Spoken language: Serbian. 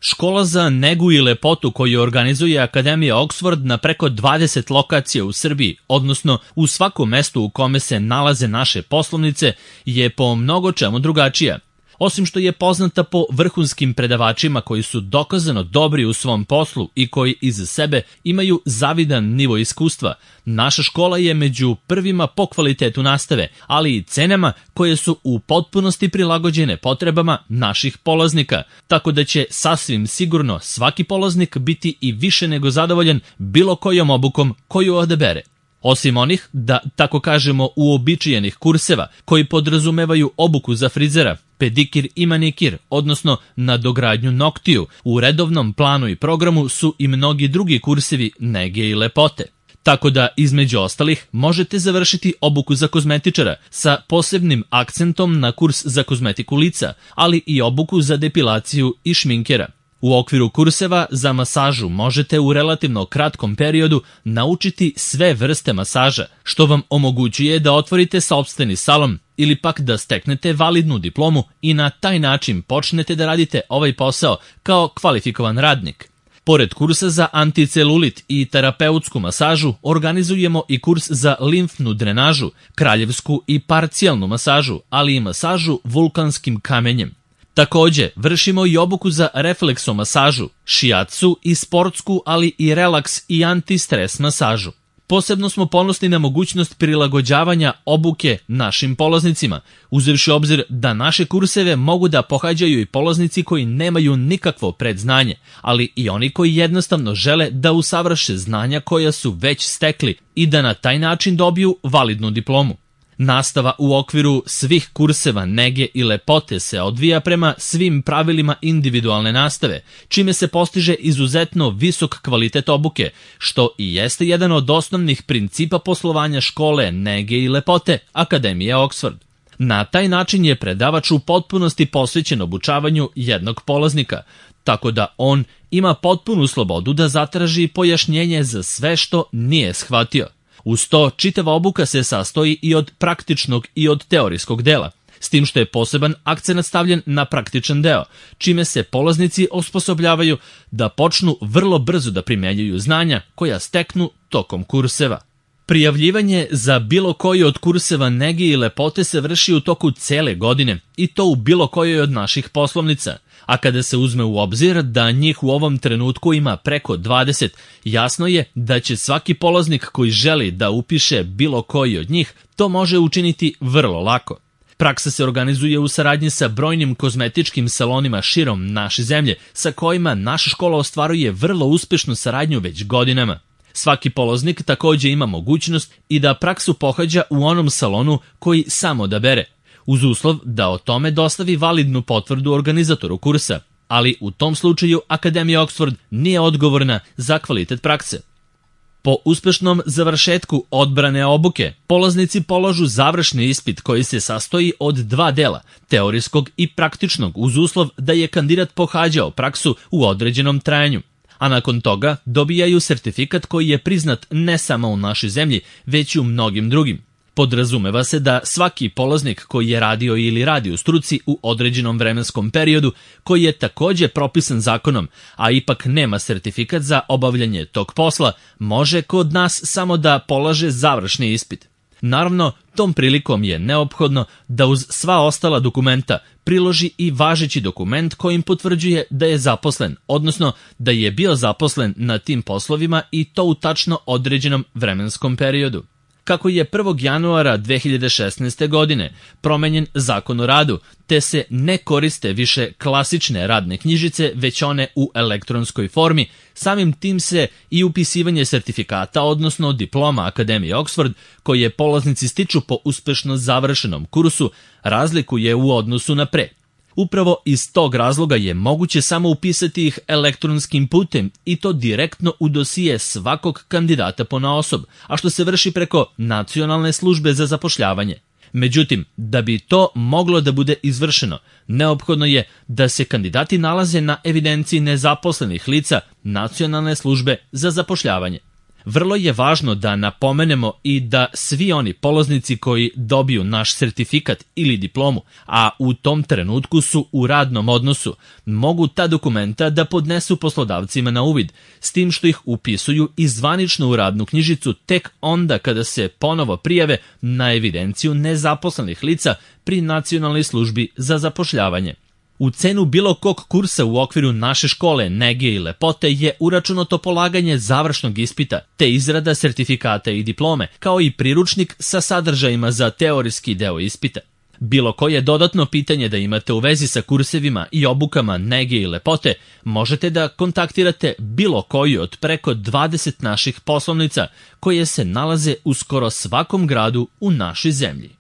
Škola za negu i lepotu koju organizuje Akademija Oxford na preko 20 lokacija u Srbiji, odnosno u svakom mestu u kome se nalaze naše poslovnice, je po mnogo čemu drugačija. Osim što je poznata po vrhunskim predavačima koji su dokazano dobri u svom poslu i koji iza sebe imaju zavidan nivo iskustva, naša škola je među prvima po kvalitetu nastave, ali i cenama koje su u potpunosti prilagođene potrebama naših polaznika, tako da će sasvim sigurno svaki polaznik biti i više nego zadovoljan bilo kojom obukom koju odabere. Osim onih, da tako kažemo, uobičajenih kurseva koji podrazumevaju obuku za frizera, pedikir i manikir, odnosno nadogradnju noktiju, u redovnom planu i programu su i mnogi drugi kursevi nege i lepote. Tako da, između ostalih, možete završiti obuku za kozmetičara sa posebnim akcentom na kurs za kozmetiku lica, ali i obuku za depilaciju i šminkera. U okviru kurseva za masažu možete u relativno kratkom periodu naučiti sve vrste masaža, što vam omogućuje da otvorite sopstveni salon ili pak da steknete validnu diplomu i na taj način počnete da radite ovaj posao kao kvalifikovan radnik. Pored kursa za anticelulit i terapeutsku masažu, organizujemo i kurs za limfnu drenažu, kraljevsku i parcijalnu masažu, ali i masažu vulkanskim kamenjem. Takođe, vršimo i obuku za refleksomasažu, šiatsu i sportsku, ali i relaks i antistres masažu. Posebno smo ponosni na mogućnost prilagođavanja obuke našim polaznicima, uzevši obzir da naše kurseve mogu da pohađaju i polaznici koji nemaju nikakvo predznanje, ali i oni koji jednostavno žele da usavrše znanja koja su već stekli i da na taj način dobiju validnu diplomu. Nastava u okviru svih kurseva nege i lepote se odvija prema svim pravilima individualne nastave, čime se postiže izuzetno visok kvalitet obuke, što i jeste jedan od osnovnih principa poslovanja škole nege i lepote Akademije Oxford. Na taj način je predavač u potpunosti posvećen obučavanju jednog polaznika, tako da on ima potpunu slobodu da zatraži pojašnjenje za sve što nije shvatio. Uz to, čitava obuka se sastoji i od praktičnog i od teorijskog dela, s tim što je poseban akcenat stavljen na praktičan deo, čime se polaznici osposobljavaju da počnu vrlo brzo da primenjuju znanja koja steknu tokom kurseva. Prijavljivanje za bilo koji od kurseva nege i lepote se vrši u toku cele godine i to u bilo kojoj od naših poslovnica. A kada se uzme u obzir da njih u ovom trenutku ima preko 20, jasno je da će svaki polaznik koji želi da upiše bilo koji od njih to može učiniti vrlo lako. Praksa se organizuje u saradnji sa brojnim kozmetičkim salonima širom naše zemlje, sa kojima naša škola ostvaruje vrlo uspešnu saradnju već godinama. Svaki polaznik takođe ima mogućnost i da praksu pohađa u onom salonu koji sam odabere, uz uslov da o tome dostavi validnu potvrdu organizatoru kursa, ali u tom slučaju Akademija Oxford nije odgovorna za kvalitet prakse. Po uspešnom završetku odbrane obuke, polaznici polažu završni ispit koji se sastoji od dva dela, teorijskog i praktičnog, uz uslov da je kandidat pohađao praksu u određenom trajanju. A nakon toga dobijaju sertifikat koji je priznat ne samo u našoj zemlji, već i u mnogim drugim. Podrazumeva se da svaki polaznik koji je radio ili radi u struci u određenom vremenskom periodu, koji je takođe propisan zakonom, a ipak nema sertifikat za obavljanje tog posla, može kod nas samo da polaže završni ispit. Naravno, tom prilikom je neophodno da uz sva ostala dokumenta priloži i važeći dokument kojim potvrđuje da je zaposlen, odnosno da je bio zaposlen na tim poslovima i to u tačno određenom vremenskom periodu. Kako je 1. januara 2016. godine promenjen Zakon o radu, te se ne koriste više klasične radne knjižice, već one u elektronskoj formi, samim tim se i upisivanje sertifikata, odnosno diploma Akademije Oxford, koje polaznici stiču po uspešno završenom kursu, razlikuje u odnosu na pre. Upravo iz tog razloga je moguće samo upisati ih elektronskim putem i to direktno u dosije svakog kandidata ponaosob, a što se vrši preko Nacionalne službe za zapošljavanje. Međutim, da bi to moglo da bude izvršeno, neophodno je da se kandidati nalaze na evidenciji nezaposlenih lica Nacionalne službe za zapošljavanje. Vrlo je važno da napomenemo i da svi oni polaznici koji dobiju naš sertifikat ili diplomu, a u tom trenutku su u radnom odnosu, mogu ta dokumenta da podnesu poslodavcima na uvid, s tim što ih upisuju i zvanično u radnu knjižicu tek onda kada se ponovo prijave na evidenciju nezaposlenih lica pri Nacionalnoj službi za zapošljavanje. U cenu bilo kog kursa u okviru naše škole nege i lepote je uračunato polaganje završnog ispita, te izrada sertifikata i diplome, kao i priručnik sa sadržajima za teorijski deo ispita. Bilo koje dodatno pitanje da imate u vezi sa kursevima i obukama nege i lepote, možete da kontaktirate bilo koju od preko 20 naših poslovnica koje se nalaze u skoro svakom gradu u našoj zemlji.